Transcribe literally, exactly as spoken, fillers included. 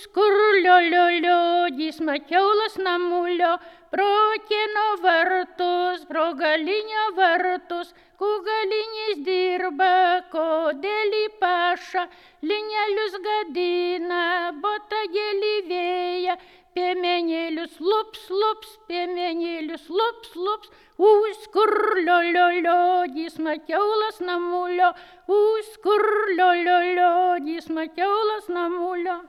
skurlio, lio, lio, jis makiaulas namulio, pro kieno vartus, pro galinio vartus, ku galinis dirba, kodėl į pašą, linelius gadina, botagėlį vėja, piemenėlius lups, lups, piemenėlius lups, lups, ui skurlio, lio, lio, jis makiaulas namulio, ui skurlio, lio, lio, jis makiaulas namulio.